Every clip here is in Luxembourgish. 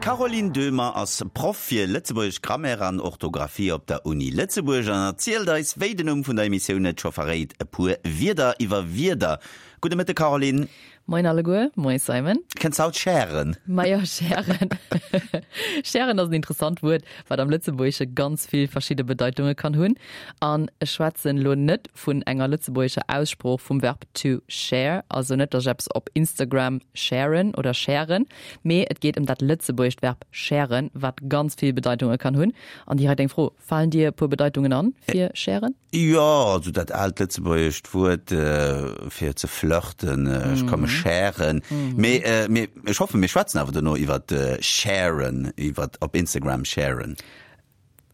D'Caroline Döhmer ass Proff fir lëtzebuergesch Grammaire an Orthografie op der Uni Lëtzebuerg an erzielt eis, wéi den Numm vun der Emissioun et scho verréit, e puer Wierder iwwer Wierder. Gudde Mëtte Caroline. Moien alleguer, moie Simon. Kënns haut schären? Majo, schären. Schären ass en interessant Wuert, wat am Lëtzebuergesche ganz vill verschidde Bedeitunge kann hunn. An ech schwätzen elo net vun enger lëtzebuergescher Aussprooch vum Verb to share, also net, datt ech eppes op Instagram sharen oder schären, mee et geet ëm dat lëtzebuergescht Verb schären, wat ganz vill Bedeitunge kann hunn. An direkt eng Fro, Falen dir e puer Bedeitungen an fir schären? Jo, also dat aalt lëtzebuergescht Wuert fir ze flirten, ech komme schären. Mee mir, ech hoffen, mir schwätzen awer dono iwwer sharen, iwwer op Instagram sharen.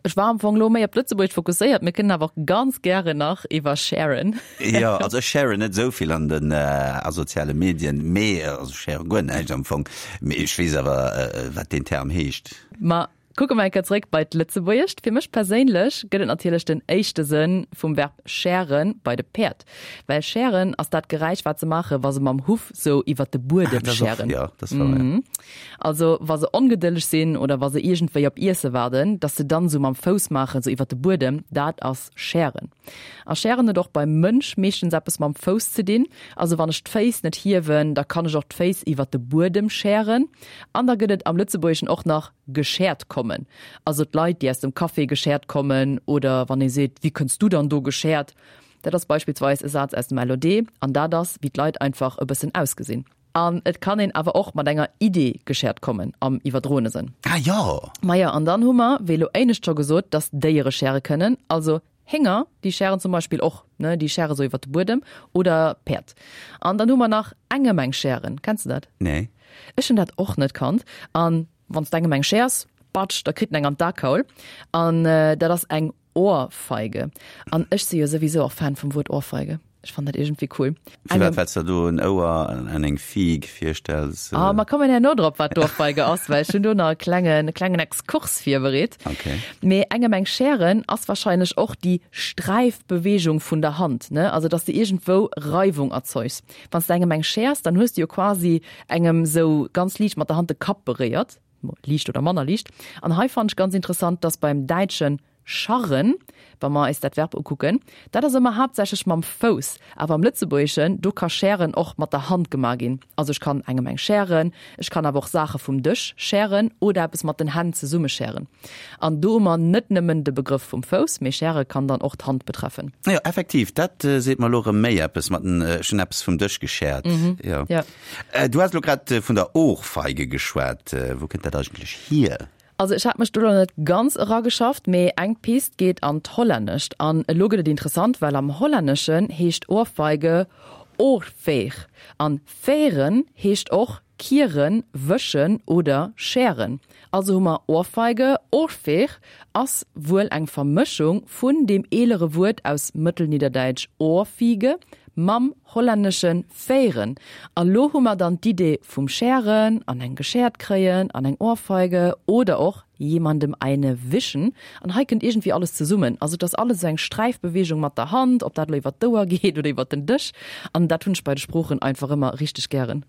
Ech war am Fong elo méi op d'Lëtzebuergescht fokusséiert, mir kënnen awer och ganz gären nach iwwer sharen. Jo, also ech sharen net esou vill an den a soziale Medien, mee also ech share guer näischt am Fong, mee ech weess awer wat deen Term heescht. Ma Kucke mer eng Kéier zeréck bei d'Lëtzebuergescht. Fir mech perséinlech gëtt et natierlech den éischte Sënn vum Verb schären bei de Päerd. Well schären ass dat Geräisch, wat se maachen, wa se mam Huff sou iwwer de Buedem schären. Jo, dat ass wouer, jo. Also wa se ongedëlleg sinn oder wa se iergendwéi op Iesse waarden, dass se dann sou mam Fouss maachen, sou iwwer de Buedem, dat ass schären. A schären huet och beim Mënsch meeschtens eppes mam Fouss ze dinn. Also wann ech d'Féiss net hiewen, da kann ech och d'Féiss iwwer de Buedem schären. An da gëtt et am Lëtzebuergeschen och nach geschäert kommen, also d'Leit, déi aus dem Café geschäert kommen, oder wann ee seet, Wéi kënns du dann do geschäert? Dat ass beispillsweis e Saz aus dem LOD, an dat ass, wéi d'Leit einfach e bëssen ausgesinn. An et kann een awer och mat enger Idee geschäert kommen, am iwwerdroene Sënn. Ah jo! Majo, an dann hu mer, wéi elo éinescht scho gesot, dass Déiere schäre kënnen, also Hénger, déi schären zum Beispill och, ne, déi schäre sou iwwer de Buedem, oder Päerd. An dann hu mer nach engem eng schären. Kenns de dat? Nee. Ech hunn dat och net kannt. An wann s de engem eng schäers, batsch, da kritt en eng an d'Akaul. An dat ass eng Ohrfeige. An ech si jo souwisou och Fan vum Wuert Ohrfeige. Ech fannen dat iergendwéi cool. Firwat? Well s de do en Ouer an eng Fieg virstells? Ah, mer kommen herno drop, wat d'Ohrfeige ass, well ech hunn do nach e klengen, e klengen Exkurs virbereet. Okay. Mee engem eng Schären ass wahrscheinlech och déi Sträifbeweegung vun der Hand, ne? Also, dass de iergendwou Reiwung erzeugs. Wann s de engem eng schäers, dann hues de jo quasi engem sou ganz liicht mat der Hand de Kapp beréiert, liicht oder manner liicht. An hei fannen ech ganz interessant, dass beim Däitschen Scharren, wa mer eis dat Verb ukucken, dat ass ëmmer haaptsächlech mam Fouss. Awer am Lëtzebuergeschen, do ka schären och mat der Hand gemaach ginn. Also ech kann engem eng schären, ech kann awer och Saache vum Dësch schären oder eppes mat den Hänn zesumme schären. An do hu mer net nëmmen de Begrëff vum Fouss, mee schäre kann dann och d'Hand betreffen. Jo, effektiv, dat seet mer elo erëm méi eppes mat den, ech hunn eppes vum Dësch geschäert. Jo. Du has elo grad vun der Ohrfeige geschwat. Wou kënnt dat eigentlech hier? Also ech hat mech do lo net ganz erageschafft, mee eng Pist geet an d'Hollännescht. An elo gëtt et interessant, well am Hollänneschen heescht Ohrfeige oorveeg. An vegen heescht och kieren, wëschen oder schären. Also hu mer Ohrfeige, oorveeg ass wuel eng Vermëschung vun deem eelere Wuert aus Mëttelnidderdäitsch ohrfiege mam hollännesche vegen. A lo hu mer dann d'Idee vum Schären an eng geschäert kréien an eng Ohrfeige oder och jemandem eine wischen. An hei kënnt iergendwéi alles zesummen. Also et ass alles esou eng Sträifbeweegung mat der Hand, ob dat elo iwwer d'Ouer geet oder iwwer den Dësch. An dat hunn ech bei de Sproochen einfach ëmmer richteg gären.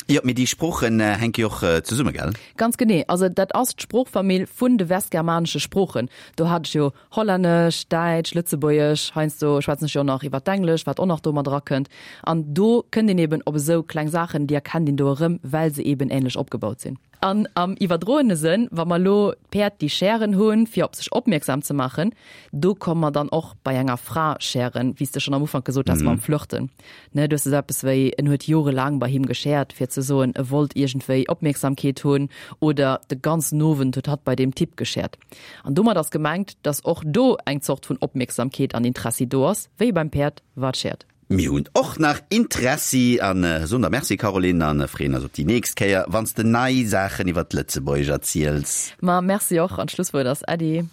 Jo, mee déi Sproochen hänke jo och zesumme, gell? Ganz genee. Also dat ass d'Sproochfamill vun de westgermanesche Sproochen. Do hat ech jo Hollännesch, Däitsch, Lëtzebuergesch, heiansdo schwätzen ech jo och nach iwwer d'Englesch, wat och nach do mat erakënnt. An do kënnt een eben op esou kleng Saachen, déi erkennt een do erëm, well se eben änlech opgebaut sinn. An am iwwerdroene Sënn, wa mer elo d'Päerd déi Schären hunn, fir op sech opmierksam ze maachen, do komme mer dann och bei enger Fra schären, wéi s de schonn am Ufank gesot has mam Flirten. Ne, du hues esou eppes wéi, en huet jorelaang bei him geschäert, fir ze soen, e wollt iergendwéi Opmierksamkeet hunn, oder de ganzen Owend huet hatt bei deem Typ geschäert. An domat ass gemengt, dass och do eng Zort vun Opmierksamkeet an Interessi do ass, wéi beim Päerd, wat schäert. Mir hunn och nach Interessi an soen der Merci Caroline an freeën eis op déi nächst Kéier wanns de nei Saachen iwwert d'Lëtzebuergesch erziels. Ma merci och an d'Schlusswuert ass Äddi.